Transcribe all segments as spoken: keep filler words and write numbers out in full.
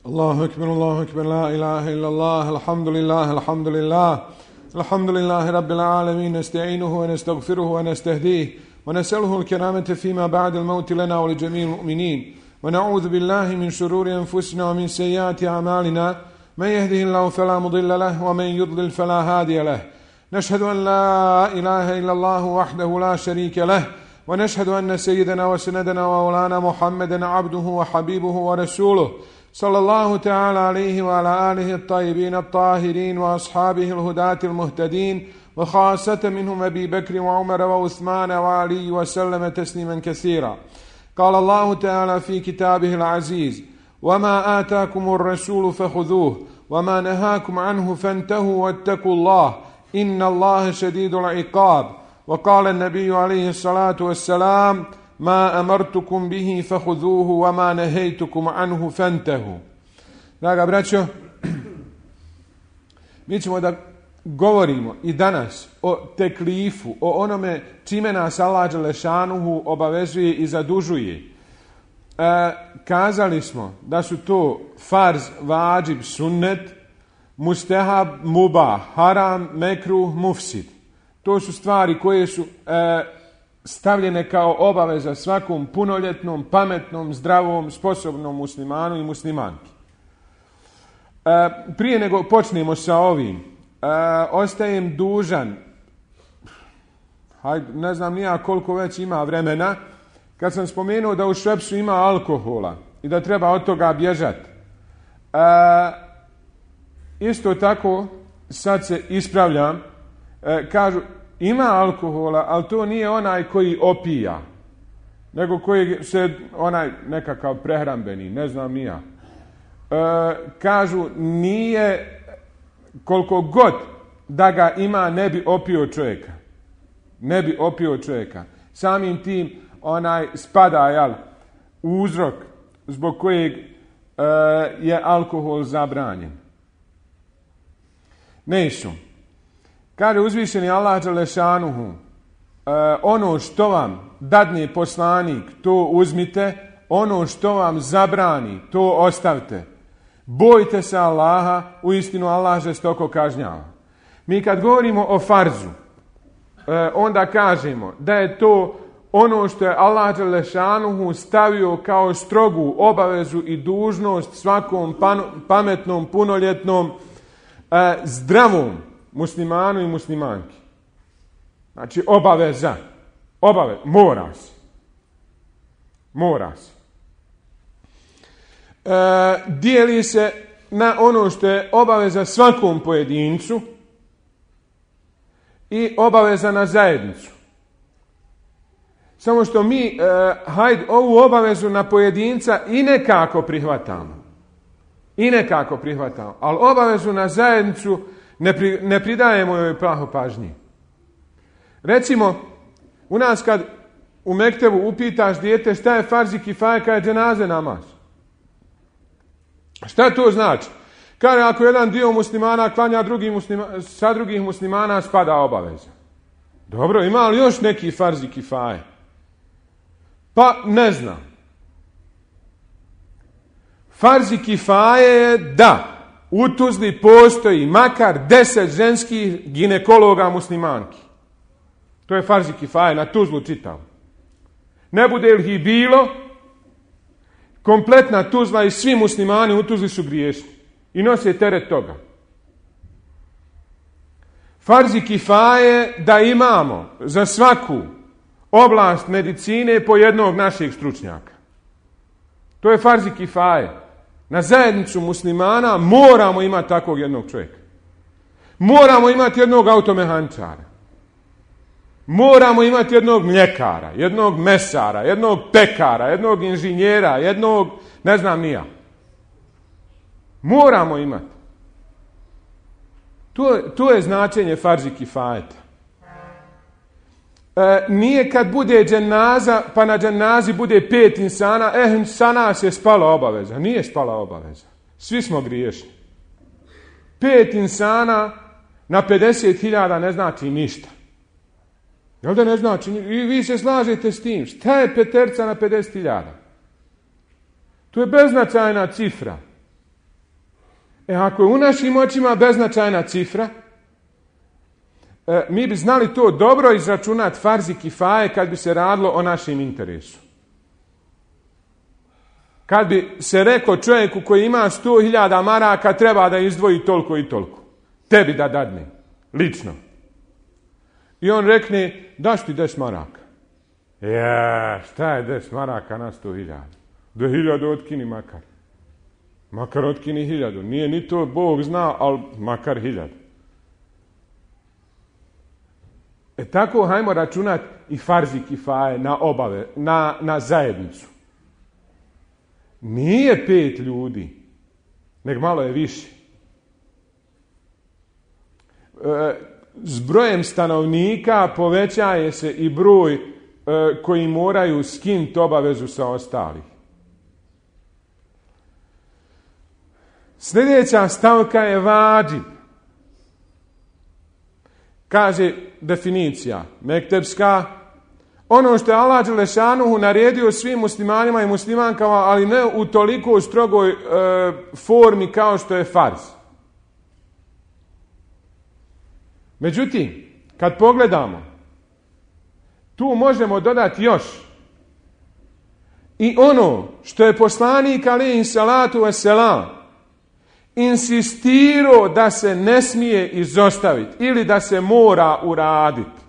الله أكبر الله أكبر لا إله إلا الله الحمد لله الحمد لله الحمد لله رب العالمين نستعينه ونستغفره ونستهديه ونسأله الكرامة فيما بعد الموت لنا ولجميع المؤمنين ونعوذ بالله من شرور أنفسنا ومن سيئات أعمالنا من يهده الله فلا مضل له ومن يضلل فلا هادي له نشهد أن لا إله إلا الله وحده لا شريك له ونشهد أن سيدنا وسندنا ومولانا محمدا عبده وحبيبه ورسوله صلى الله تعالى عليه وعلى آله الطيبين الطاهرين وأصحابه الهداة المهتدين وخاصة منهم أبي بكر وعمر وعثمان وعلي وسلم تسليما كثيرا. قال الله تعالى في كتابه العزيز: وما آتاكم الرسول فخذوه وما نهاكم عنه فانتهوا واتقوا الله إن الله شديد العقاب. وقال النبي عليه الصلاة والسلام: ما أمرتكم به فخذوه وما نهيتكم عنه فانتهوا. Draga braćo, mi ćemo da govorimo i danas o teklifu, o onome čime nas Allah dželešanuhu obavezuje i zadužuje. E, kazali smo da su to farz, vađib, sunnet, mustehab, mubah, haram, mekruh, mufsid. To su stvari koje su e, stavljene kao obaveza svakom punoljetnom, pametnom, zdravom, sposobnom muslimanu i muslimanki. E, prije nego počnemo sa ovim, e, ostajem dužan, hajde, ne znam nija koliko već ima vremena, kad sam spomenuo da u Šepsu ima alkohola i da treba od toga bježati. E, isto tako, sad se ispravljam, e, kažu, ima alkohola, ali to nije onaj koji opija, nego koji se, onaj nekakav prehrambeni, ne znam ni ja. E, kažu, nije, koliko god da ga ima, ne bi opio čovjeka. Ne bi opio čovjeka. Samim tim, onaj spada, jel, uzrok zbog kojeg e, je alkohol zabranjen. Neću. Kaže uzvišeni Allah dželešanuhu, e, ono što vam dadne poslanik, to uzmite, ono što vam zabrani, to ostavite. Bojte se Allaha, uistinu Allah žestoko kažnjava. Mi kad govorimo o farzu, e, onda kažemo da je to ono što je Allah dželešanuhu stavio kao strogu obavezu i dužnost svakom pan, pametnom, punoljetnom, e, zdravom muslimanu i muslimanki. Znači obaveza. Obaveza. Mora se. Mora se. E, dijeli se na ono što je obaveza svakom pojedincu i obaveza na zajednicu. Samo što mi, e, hajde, ovu obavezu na pojedinca i nekako prihvatamo. I nekako prihvatamo. Ali obavezu na zajednicu Ne, pri, ne pridajemo joj praho pažnji. Recimo, u nas kad u mektebu upitaš dijete šta je farz i kifaje, kada je dženaze namaz. Šta to znači? Kaže, ako jedan dio muslimana klanja drugi muslima, sa drugih muslimana, spada obaveza. Dobro, ima li još neki farz i kifaje? Pa ne znam. Farz i kifaje je da u Tuzli postoji makar deset ženskih ginekologa muslimanki. To je farz i kifaje, na Tuzlu čitav. Ne bude li ih bilo, kompletna Tuzla i svi muslimani u Tuzli su griješni. I nose teret toga. Farz i kifaje da imamo za svaku oblast medicine po jednog našeg stručnjaka. To je farz i kifaje. Na zajednicu muslimana moramo imati takvog jednog čovjeka. Moramo imati jednog automehančara. Moramo imati jednog mljekara, jednog mesara, jednog pekara, jednog inženjera, jednog, ne znam ni ja. Moramo imati. To, to je značenje farzi kifajeta. E, nije kad bude dženaza, pa na dženazi bude pet insana, eh, sa nas je spala obaveza. Nije spala obaveza. Svi smo griješni. Pet insana na pedeset hiljada ne znači ništa. Jel da ne znači? I vi se slažete s tim. Šta je peterca na pedeset hiljada? To je beznačajna cifra. E ako je u našim očima beznačajna cifra, e, mi bi znali to dobro izračunati farzi kifaje kad bi se radilo o našem interesu. Kad bi se rekao čovjeku koji ima sto hiljada maraka treba da izdvoji toliko i toliko. Tebi da dadne. Lično. I on rekne, daš ti deset maraka. Ja, šta je deset maraka na sto hiljada? Do hiljadu otkini makar. Makar otkini hiljadu. Nije ni to Bog zna, ali makar hiljadu. E tako hajmo računati i farzi kifaje na obave, na, na zajednicu. Nije pet ljudi, nego malo je više. E, s brojem stanovnika povećaje se i broj e, koji moraju skinuti obavezu sa ostalih. Sljedeća stavka je vadžib. Kaže definicija mektepska, ono što je Allah dželešanuhu naredio svim muslimanima i muslimankama, ali ne u toliko strogoj e, formi kao što je farz. Međutim, kad pogledamo, tu možemo dodati još i ono što je poslanik alejhi salatu vesselam insistirao da se ne smije izostaviti ili da se mora uraditi.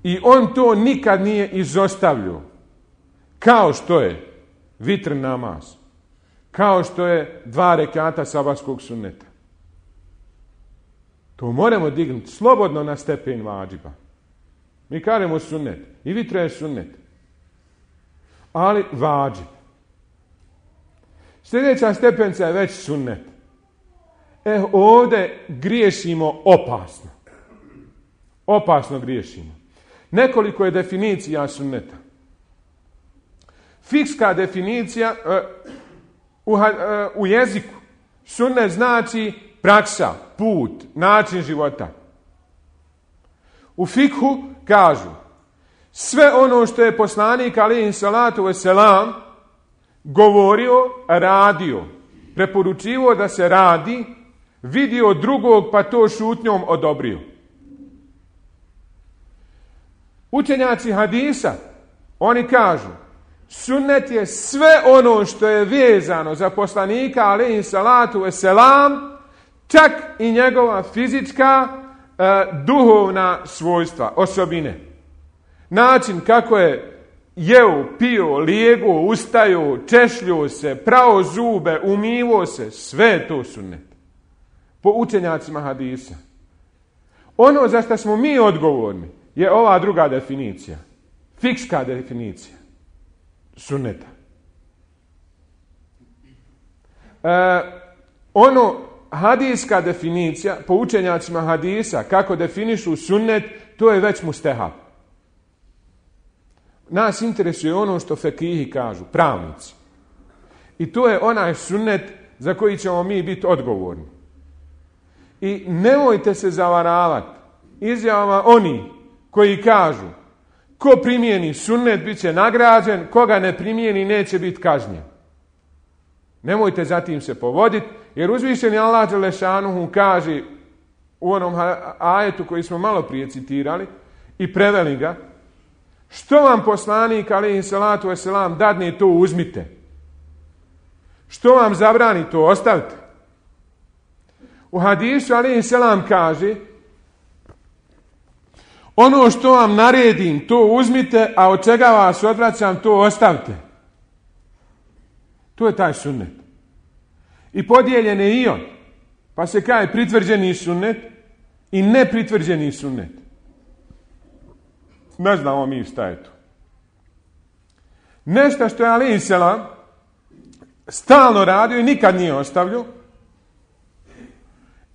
I on to nikad nije izostavljao. Kao što je vitr namaz. Kao što je dva rekata sabatskog sunneta. To moramo dignuti slobodno na stepen vadžiba. Mi kažemo sunnet. I vitr je sunnet. Ali vadžib. Sljedeća stepenca je već sunnet. E, ovdje griješimo opasno. Opasno griješimo. Nekoliko je definicija sunneta. Fikska definicija uh, u, uh, u jeziku. Sunnet znači praksa, put, način života. U fikhu kažu sve ono što je poslanik alejhi salatu vesselam govorio, radio, preporučivo da se radi, vidio drugog pa to šutnjom odobrio. Učenjaci hadisa, oni kažu, sunnet je sve ono što je vezano za poslanika alejhi salatu vesselam, čak i njegova fizička, eh, duhovna svojstva, osobine. Način kako je jeo, pio, lijego, ustajao, češljio se, prao zube, umivo se, sve je to sunnet. Po učenjacima hadisa. Ono za što smo mi odgovorni je ova druga definicija. Fikska definicija sunneta. E, ono hadijska definicija, po učenjacima hadisa, kako definišu sunnet, to je već mustehab. Nas interesuje ono što fekihi kažu, pravnici. I to je onaj sunnet za koji ćemo mi biti odgovorni. I nemojte se zavaravati izjavama oni koji kažu ko primijeni sunnet bit će nagrađen, koga ne primijeni neće biti kažnjen. Nemojte zatim se povoditi, jer uzvišeni Allah dželešanuhu kaže u onom ajetu koji smo malo prije citirali i preveli ga, što vam poslanik alejhi salatu vesselam dadne, to uzmite. Što vam zabrani, to ostavite. U hadisu alejhi selam kaže, ono što vam naredim, to uzmite, a od čega vas odvraćam, to ostavite. To je taj sunnet. I podijeljen je i on. Pa se kaže pritvrđeni sunnet i nepritvrđeni sunnet. Ne znamo mi šta je to. Nešto što je alejhi selam stalno radio i nikad nije ostavljao.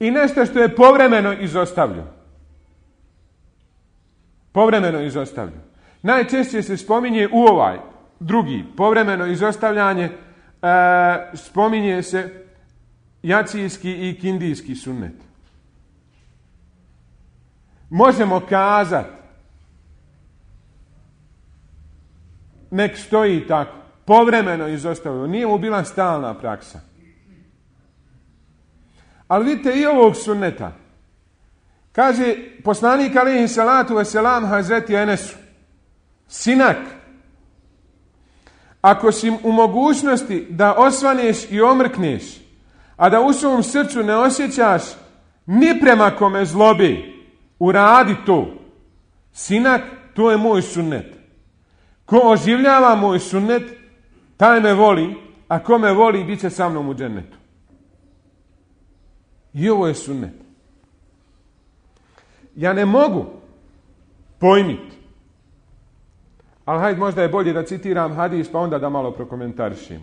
I nešto što je povremeno izostavljao. Povremeno izostavljao. Najčešće se spominje u ovaj drugi, povremeno izostavljanje, e, spominje se jacijski i kindijski sunnet. Možemo kazati, nek stoji tako. povremeno izostavio, nije mu bila stalna praksa. Ali vidite i ovog sunneta. Kaže poslanik alejhi salatu vesselam Hazreti Enesu, sinak, ako si u mogućnosti da osvaneš i omrkneš, a da u svom srcu ne osjećaš ni prema kome zlobi, uradi to. Sinak, to je moj sunnet. Ko oživljava moj sunnet, taj me voli, a ko me voli, bit će sa mnom u džennetu. I ovo je sunnet. Ja ne mogu pojmiti, ali hajde, možda je bolje da citiram hadis, pa onda da malo prokomentarišim.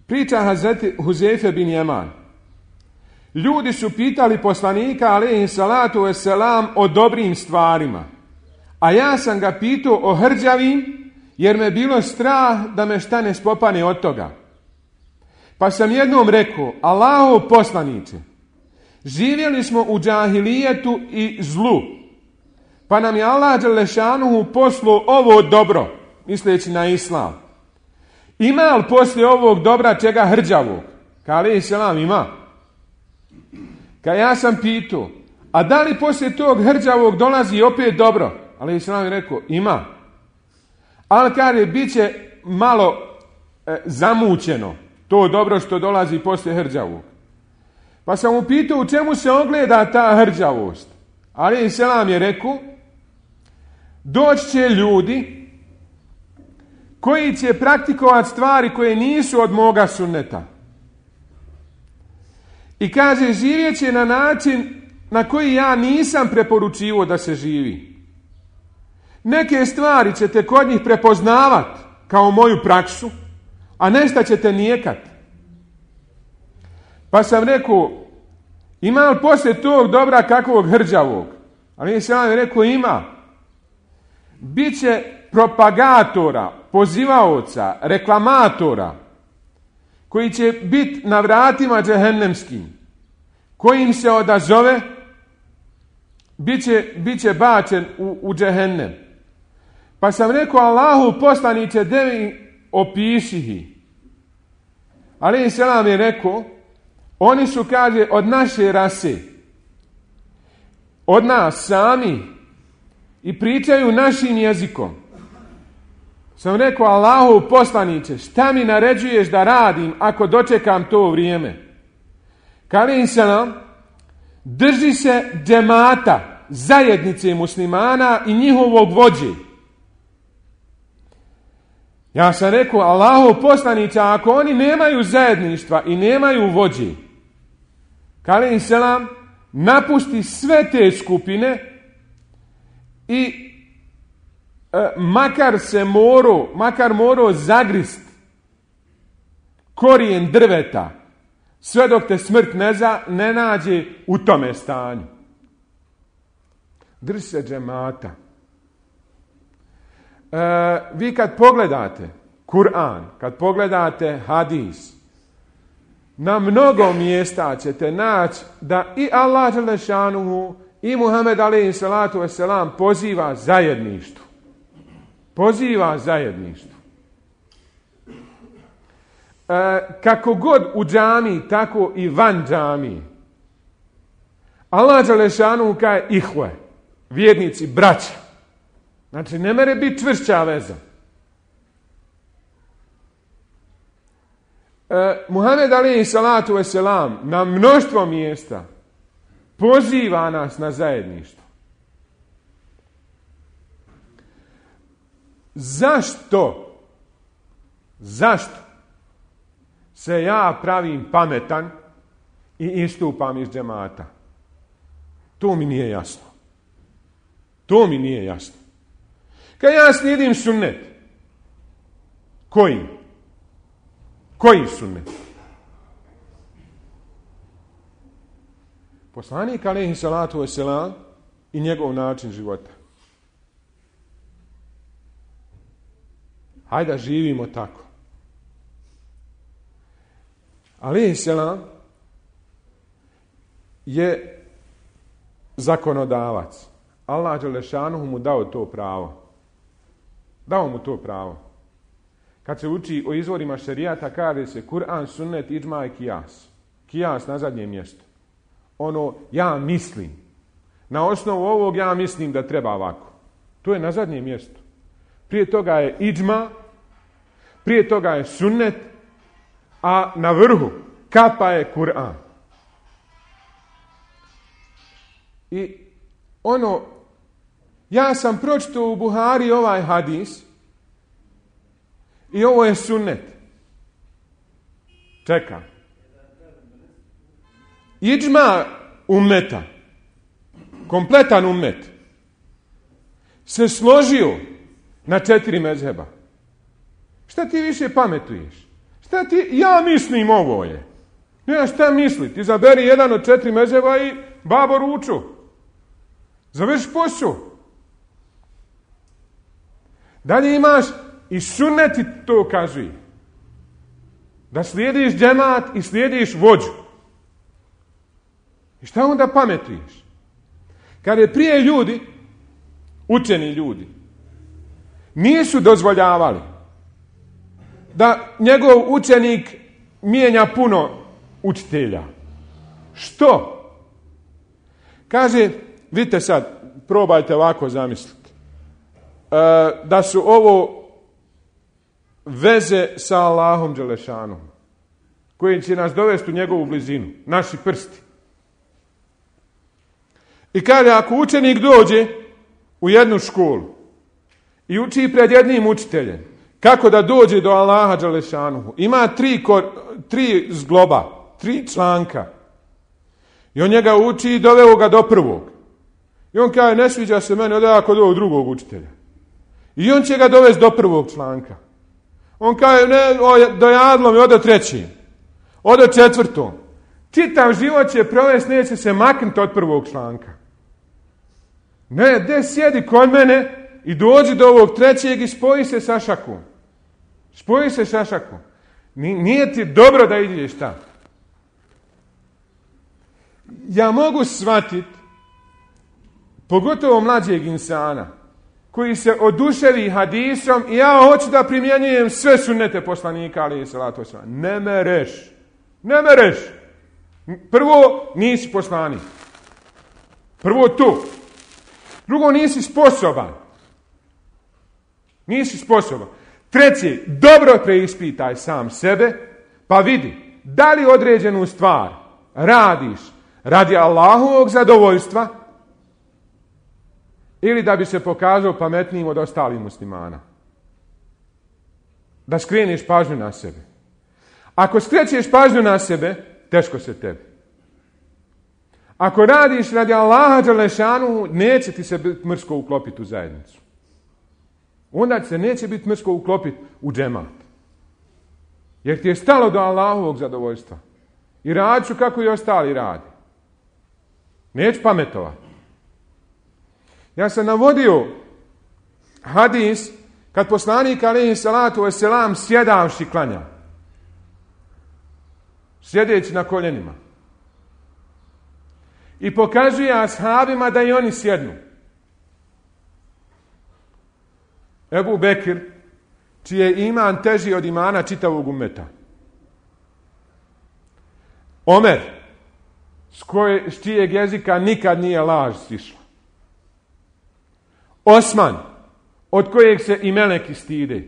Priča Hazreti Huzeyfe bin Jeman. Ljudi su pitali poslanika alejhi salatu vesselam o dobrim stvarima, a ja sam ga pitao o hrđavim, jer me bilo strah da me šta ne spopane od toga. Pa sam jednom rekao, Allahov poslanice, živjeli smo u džahilijetu i zlu, pa nam je Allah dželešanuhu poslao ovo dobro, misleći na islam. Ima li poslije ovog dobra čega hrđavog? Ka alejhi selam ima. Ka ja sam pitao, a da li poslije tog hrđavog dolazi opet dobro? Alejhi selam je rekao, ima. Ali kaže, bit će malo e, zamućeno to dobro što dolazi poslije hrđavog. Pa sam mu pitao u čemu se ogleda ta hrđavost. Alejhi selam je rekao, doći će ljudi koji će praktikovati stvari koje nisu od moga sunneta. I kaže, živjet će na način na koji ja nisam preporučivo da se živi. Neke stvari ćete kod njih prepoznavati kao moju praksu, a nešto ćete nijekat. Pa sam rekao, ima li poslije tog dobra kakvog hrđavog? Ali sam vam rekao, ima. Biće propagatora, pozivaoca, reklamatora, koji će biti na vratima džehennemskim, koji im se odazove, bit će, bit će bačen u, u džehennem. Pa sam rekao, Allahu poslanice, devi opišihi. Alejhi selam je rekao, oni su, kaže, od naše rase, od nas sami, i pričaju našim jezikom. Sam rekao, Allahu poslanice, šta mi naređuješ da radim ako dočekam to vrijeme? Alejhi selam, drži se džemata, zajednice muslimana i njihovog vođe. Ja sam rekao, Allahu poslanice, ako oni nemaju zajedništva i nemaju vođe, alejhi selam, napusti sve te skupine i e, makar se morao, makar morao zagrist korijen drveta, sve dok te smrt ne, za, ne nađe u tome stanju. Drži se džemata. E, vi kad pogledate Kur'an, kad pogledate hadis, na mnogo mjesta ćete naći da i Allah dželešanuhu i Muhammed alejhi salatu vesselam poziva zajedništvu. Poziva zajedništvu. E, kako god u džamiji, tako i van džamiji. Allah dželešanuhu kaže ihve, vjernici, braća. Znači, ne mere biti čvršća veza. E, Muhammed alejhi salatu vesselam na mnoštvo mjesta poziva nas na zajedništvo. Zašto? Zašto se ja pravim pametan i istupam iz džemata? To mi nije jasno. To mi nije jasno. Kad ja slijedim sunnet, koji? Koji sunnet? Poslanik alejhi salatu vesselam i njegov način života. Hajde da živimo tako. Alejhi selam je zakonodavac. Allah dželešanuhu mu dao to pravo. Dao mu to pravo. Kad se uči o izvorima šerijata, kaže se Kur'an, sunnet, idžma i kijas. Kijas na zadnjem mjestu. Ono, ja mislim. Na osnovu ovog ja mislim da treba ovako. To je na zadnjem mjestu. Prije toga je idžma, prije toga je sunnet, a na vrhu kapa je Kur'an. I ono, ja sam pročitao u Buhari ovaj hadis i ovo je sunnet. Čeka. Idžma ummeta, kompletan ummet, se složio na četiri mezheba. Šta ti više pametuješ? Šta ti, ja mislim ovo je. Ne, šta misli? Ti izaberi jedan od četiri mezheba i babo ruču. Završi posao. Dalje imaš i sunnet ti to kazuje. Da slijediš džemat i slijediš vođu. I šta onda pametuješ? Kad je prije ljudi, učeni ljudi, nisu dozvoljavali da njegov učenik mijenja puno učitelja. Što? Kaže, vidite sad, probajte ovako zamisliti. E, da su ovo veze sa Allahom dželešanom, koji će nas dovesti u njegovu blizinu, naši prsti. I kaže, ako učenik dođe u jednu školu i uči pred jednim učiteljem kako da dođe do Allaha dželešanuhu, ima tri, kor, tri zgloba, tri članka. I on njega uči i doveo ga do prvog. I on kaže, ne sviđa se meni, ode ako do drugog učitelja. I on će ga dovesti do prvog članka. On kaže, ne, o, dojadlo mi, ode treći. Ode četvrtom. Čitav život će provesti, neće se maknuti od prvog članka. Ne, de sjedi kod mene i dođi do ovog trećeg i spoji se sa šakom. Spoji se sa šakom. Nije ti dobro da ideš tamo. Ja mogu shvatiti, pogotovo mlađeg insana, koji se oduševi hadisom i ja hoću da primjenjujem sve sunnete poslanika, alejhi salatu vesselam. Ne mereš. Ne mereš. Prvo, nisi poslanik. Prvo tu. Drugo, nisi sposoban. Nisi sposoban. Treće, dobro preispitaj sam sebe, pa vidi da li određenu stvar radiš radi Allahovog zadovoljstva ili da bi se pokazao pametnijim od ostalih muslimana. Da skreniš pažnju na sebe. Ako skrećeš pažnju na sebe, teško se tebi. Ako radiš radi Allaha dželešanu, neće ti se biti mrsko uklopiti u zajednicu. Onda se neće biti mrsko uklopiti u džemat. Jer ti je stalo do Allahovog zadovoljstva. I radit ću kako i ostali radi. Neću pametovati. Ja sam navodio hadis kad poslanik alejhi salatu vesselam sjedavši klanja. Sjedeći na koljenima. I pokazuje ashabima da i oni sjednu. Ebu Bekir, čiji je iman teži od imana čitavog ummeta. Omer, s, koje, s čijeg jezika nikad nije laž sišla. Osman, od kojeg se i meleki stide.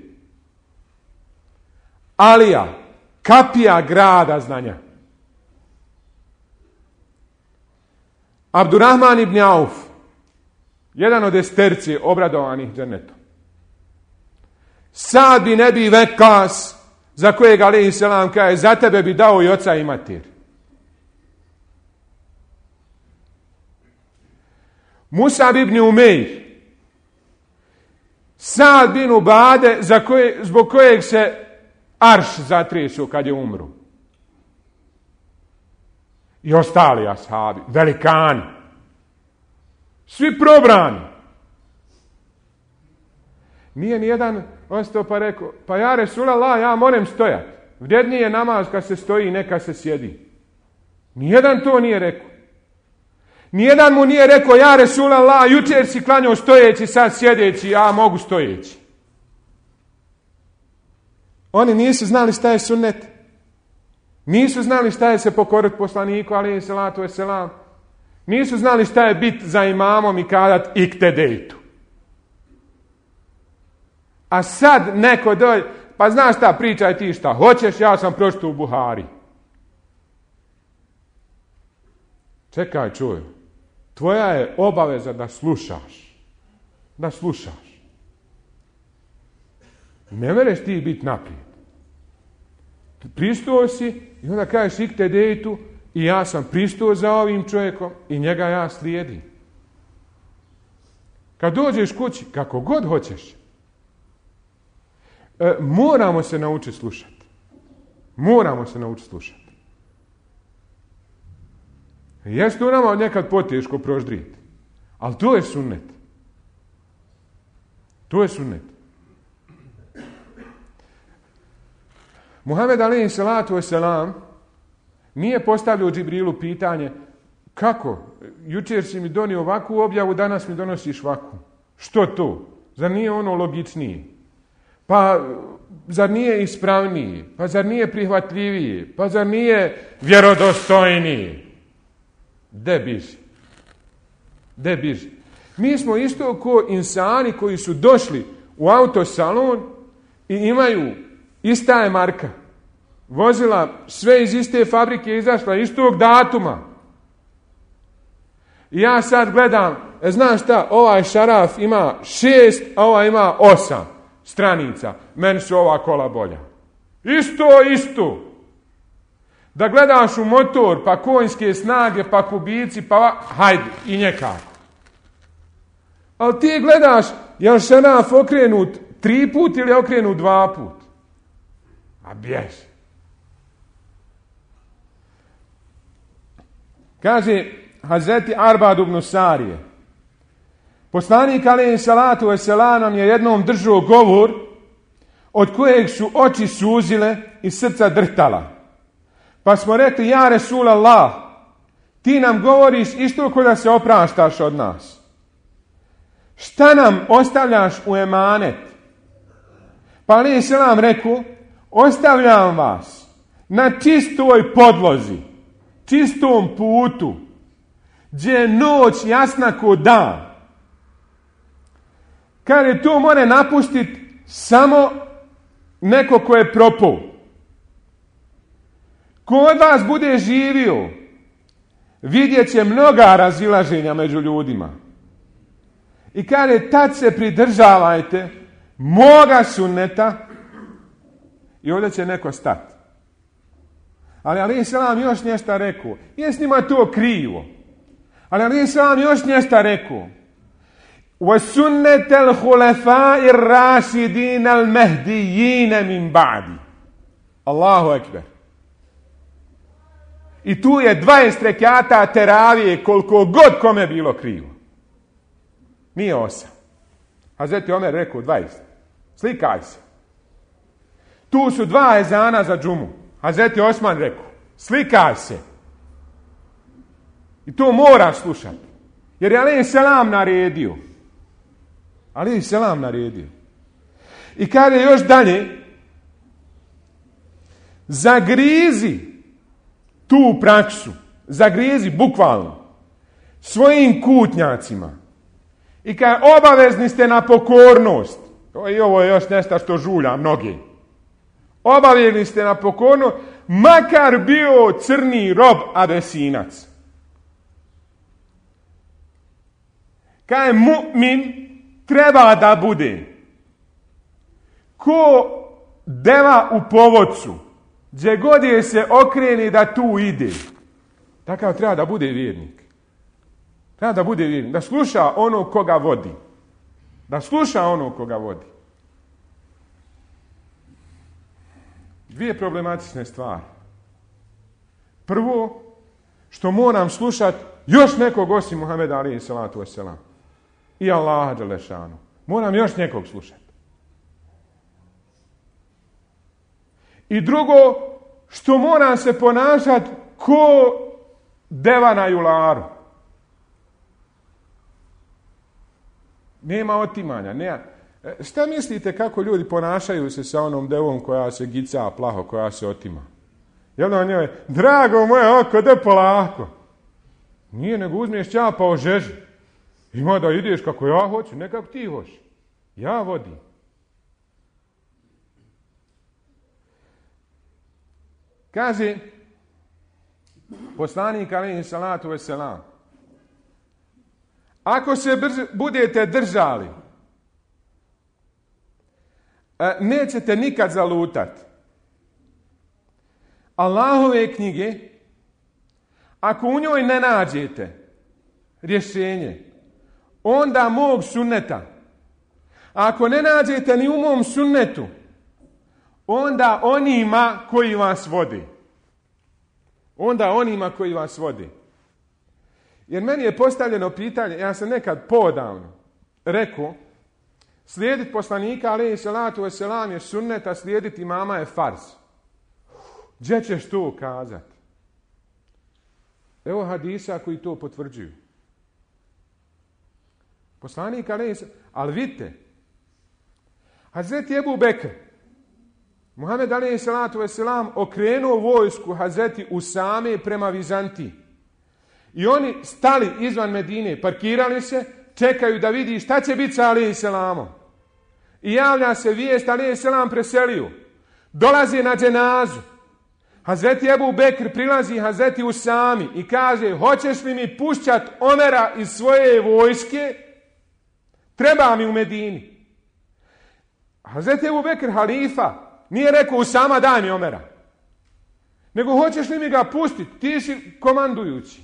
Alija, kapija grada znanja. Abdurrahman ibn Auf, jedan od esterci obradovanih džennetom. Sad bi ne bi Vekas, za kojeg alejhi selam kaže, za tebe bi dao i oca i mater. Musab ibn Umeir, Sad bin Ubade, za koje, zbog kojeg se arš zatresao kad je umro. I ostali ashabi, velikani. Svi probrani. Nije nijedan ostao pa rekao, pa ja Resulallah, ja moram stojati. Vrijedniji je namaz kad se stoji, neka se sjedi. Nijedan to nije rekao. Nijedan mu nije rekao, ja Resulallah, jučer si klanjao stojeći, sad sjedeći, ja mogu stojeći. Oni nisu znali šta je sunnet. Nisu znali šta je se pokoriti poslaniku, alejhi salatu vesselam. Nisu znali šta je bit za imamom i kadat iktedejtu. A sad neko dođe, pa znaš šta, pričaj ti šta hoćeš, ja sam pročitao u Buhari. Čekaj, čuj. Tvoja je obaveza da slušaš. Da slušaš. Ne mereš ti biti naprijed. Pristao si i onda kažeš iktedejtu i ja sam pristao za ovim čovjekom i njega ja slijedim. Kad dođeš kući, kako god hoćeš, e, moramo se naučiti slušati. Moramo se naučiti slušati. Jeste to nama nekad poteško proždriti, ali to je sunnet. To je sunnet. Muhammed alejhi salatu vesselam nije postavljao Džibrilu pitanje kako, jučer si mi donio ovakvu objavu, danas mi donosiš ovakvu. Što to? Zar nije ono logičnije? Pa zar nije ispravnije? Pa zar nije prihvatljivije? Pa zar nije vjerodostojnije? De biži. De biži. Mi smo isto ko insani koji su došli u autosalon i imaju ista je marka. Vozila sve iz iste fabrike izašla istog datuma. I ja sad gledam, e, znaš šta, ovaj šaraf ima šest, a ovaj ima osam stranica. Meni su ova kola bolja. Isto, isto. Da gledaš u motor, pa konjske snage, pa kubici, pa hajde, i nekako. Ali ti gledaš, je li šaraf okrenut tri put ili je okrenut dva put? A bjež. Kaže Hazreti Arbad ibn Sarije, poslanik alejhi salatu vesselam nam je jednom držao govor od kojeg su oči suzile i srca drhtala. Pa smo rekli, ja Resulallah, ti nam govoriš isto ko da se opraštaš od nas. Šta nam ostavljaš u emanet? Pa alejhi selam rekao, ostavljam vas na čistoj podlozi, čistom putu, gdje je noć jasna ko dan. Kad je to more napustiti samo neko ko je propao. Ko od vas bude živio, vidjet će mnoga razilaženja među ljudima. I kad je tad se pridržavajte moga sunneta i ovdje će neko stati. Ali alejhi selam još nešto rekao. Je s njima to krivo. Ali alejhi selam još nešto rekao. Wa sunnetel hulefai rašidin al mehdijine min ba'di. Allahu ekber. I tu je dvadeset rekata teravije koliko god kome bilo krivo. Nije osam. Hazreti Omer rekao dvadeset. Slikaj se. Tu su dva ezana za džumu. Hazreti Osman rekao, slikaj se. I to moraš slušati. Jer je alejhi selam naredio. Alejhi selam naredio. I kada je još dalje, zagrizi tu praksu, zagrizi bukvalno svojim kutnjacima. I kada obavezni ste na pokornost, i ovo je još nešto što žulja mnogi, obavezni ste na pokornost, makar bio crni rob Abesinac. Kaj mu'min treba da bude ko deva u povodcu, gdje god je se okreni da tu ide. Takav treba da bude vjernik. Treba da bude vjernik, da sluša ono koga vodi. Da sluša ono koga vodi. Dvije problematične stvari. Prvo, što moram slušati još nekog osim Muhameda alejhi salatu vesselam. I Allaha dželešanu. Moram još nekog slušati. I drugo, što moram se ponašati ko deva na jularu. Nema otimanja. Nema. Šta mislite kako ljudi ponašaju se sa onom devom koja se gica plaho, koja se otima? Jel on njoj, drago moje oko, de polako. Nije, nego uzmiješ ćapa o žeži. Ima da ideš kako ja hoću, ne kako ti hoćeš. Ja vodim. Kaže poslanik alejhi salatu vesselam, ako se brž, budete držali, nećete nikad zalutati. Allahove knjige, ako u njoj ne nađete rješenje, onda mog sunneta. A ako ne nađete ni u mom sunnetu, onda onima koji vas vodi. Onda onima koji vas vodi. Jer meni je postavljeno pitanje, ja sam nekad podavno rekao, slijediti poslanika, alejhi salatu vesselam, je sunnet, a slijediti imama je farz. Gdje ćeš to kazati? Evo hadisa koji to potvrđuju. Poslanik, alejhi salatu vesselam, ali vidite, Hazreti Ebu Bekr, Muhammed alejhi salatu vesselam, okrenuo vojsku Hazreti Usame prema Vizantiji. I oni stali izvan Medine, parkirali se, čekaju da vidi šta će biti sa alejhi selamom. I javlja se vijest, alejhi selam preselio. Dolazi na dženazu. Hazreti Ebu Bekr prilazi Hazreti Usami i kaže, hoćeš li mi pušćat Omera iz svoje vojske? Treba mi u Medini. Hazreti Ebu Bekr, halifa, nije rekao, Usama, daj mi Omera. Nego, hoćeš li mi ga pustiti? Ti si komandujući.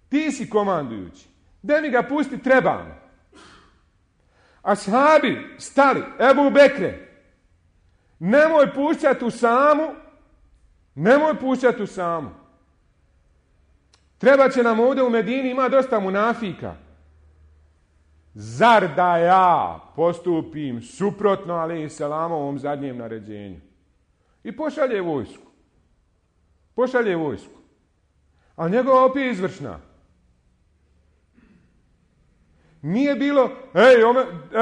Ti si komandujući. Daj mi ga pusti, treba mi. Ashabi stali, Ebu Bekre, nemoj pušćati Usamu, nemoj pušćati Usamu. Treba će nam ovdje u Medini, ima dosta munafika. Zar da ja postupim suprotno alejhi selamovom zadnjem naređenju? I pošalje vojsku. Pošalje vojsku. A njegova opet je izvršna. Nije bilo, ej,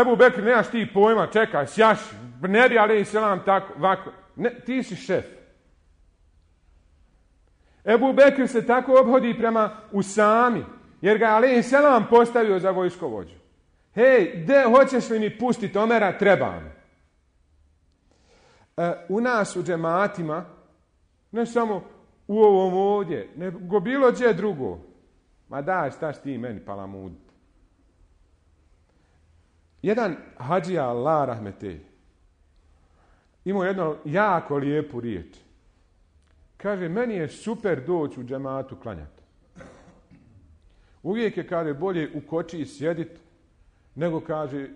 Ebu Bekr, nemaš ti pojma, čekaj, sjaš, ne bi alejhi selam tako, ovako. Ne, ti si šef. Ebu Bekr se tako obhodi prema Usami, jer ga alejhi selam postavio za vojskovođu. Hej, de, hoćeš li mi pustiti Omera? Treba mi. E, u nas u džematima, ne samo u ovom ovdje, nego bilo gdje drugo. Ma daj, staš ti meni palamud. Jedan hadžija Allah rahmetej imao jednu jako lijepu riječ. Kaže, meni je super doći u džematu klanjati. Uvijek je, kaže, bolje u kočiji sjediti, nego, kaže,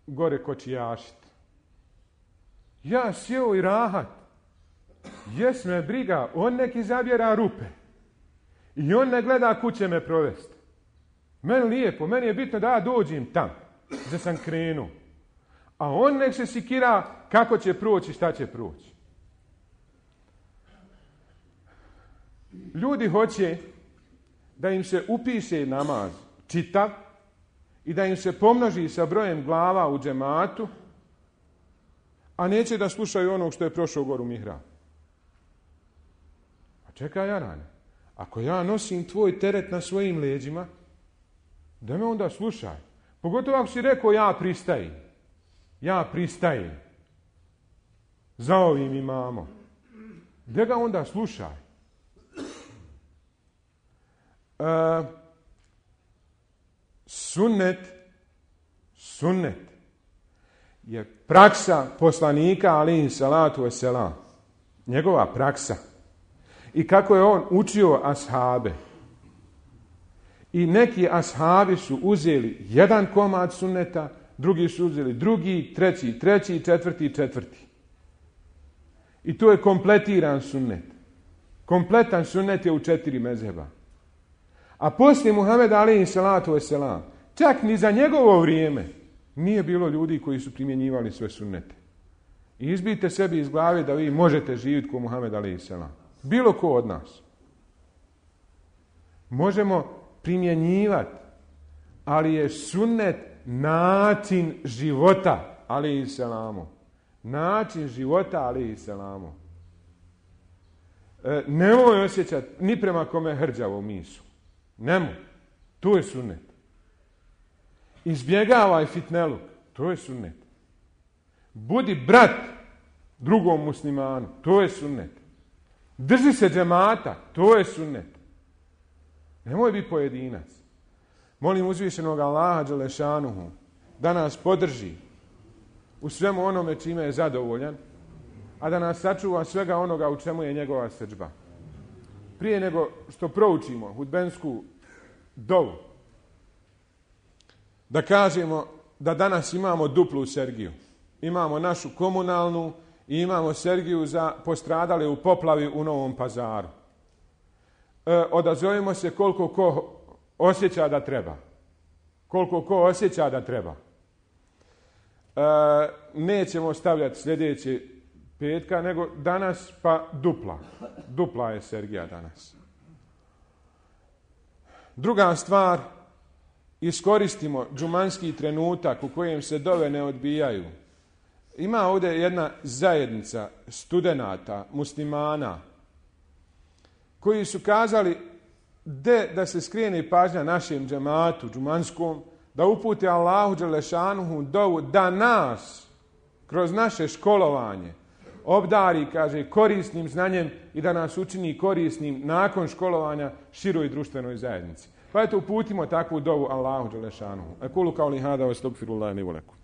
gore kočijašit. Ja sjeo i rahat. Jes me briga, on neki zabjera rupe. I on ne gleda kuće me provesti. Meni lijepo, meni je bitno da ja dođem tam, gdje sam krenuo. A on nek se sikira kako će proći, šta će proći. Ljudi hoće da im se upiše namaz čitav i da im se pomnoži sa brojem glava u džematu, a neće da slušaju onog što je prošao goru mihrab. A čekaj, Jarane, ako ja nosim tvoj teret na svojim leđima, da me onda slušaj. Pogotovo ako si rekao ja pristajem. Ja pristajem. Za ovim imamo. Gdje ga onda slušaj? E, sunnet, sunnet je praksa poslanika alejhi salatu vesselam. Njegova praksa. I kako je on učio ashabe. I neki ashabi su uzeli jedan komad sunneta, drugi su uzeli drugi, treći, treći, četvrti, četvrti. I to je kompletiran sunnet. Kompletan sunnet je u četiri mezheba. A poslije Muhameda alejhi salatu vesselam, čak ni za njegovo vrijeme, nije bilo ljudi koji su primjenjivali sve sunnete. I izbijte sebi iz glave da vi možete živjeti ko Muhammed alejhi selam. Bilo ko od nas. Možemo primjenjivati, ali je sunnet način života, alejhi selamu. Način života, alejhi selamu. E, nemoj osjećati ni prema kome hrđavo misu. Nemoj. To je sunnet. Izbjegavaj fitneluk. To je sunnet. Budi brat drugom muslimanu. To je sunnet. Drži se džemata. To je sunnet. Nemoj biti pojedinac. Molim uzvišenog Allaha dželešanuhu da nas podrži u svemu onome čime je zadovoljan, a da nas sačuva svega onoga u čemu je njegova srdžba. Prije nego što proučimo hudbensku dovu, da kažemo da danas imamo duplu Sergiju. Imamo našu komunalnu i imamo Sergiju za postradale u poplavi u Novom Pazaru. E, odazovimo se koliko ko osjeća da treba. Koliko ko osjeća da treba. E, nećemo stavljati sljedeće petka, nego danas pa dupla. Dupla je Sergija danas. Druga stvar, iskoristimo džumanski trenutak u kojem se dove ne odbijaju. Ima ovdje jedna zajednica studenata, muslimana, koji su kazali de da se skrene pažnja našem džematu, džumanskom, da upute Allahu dželešanuhu dovu da nas, kroz naše školovanje, obdari, kaže, korisnim znanjem i da nas učini korisnim nakon školovanja široj društvenoj zajednici. Pa eto, uputimo takvu dovu Allahu dželešanuhu. Ekulu kauli hada wa astagfirullaha li wa lakum.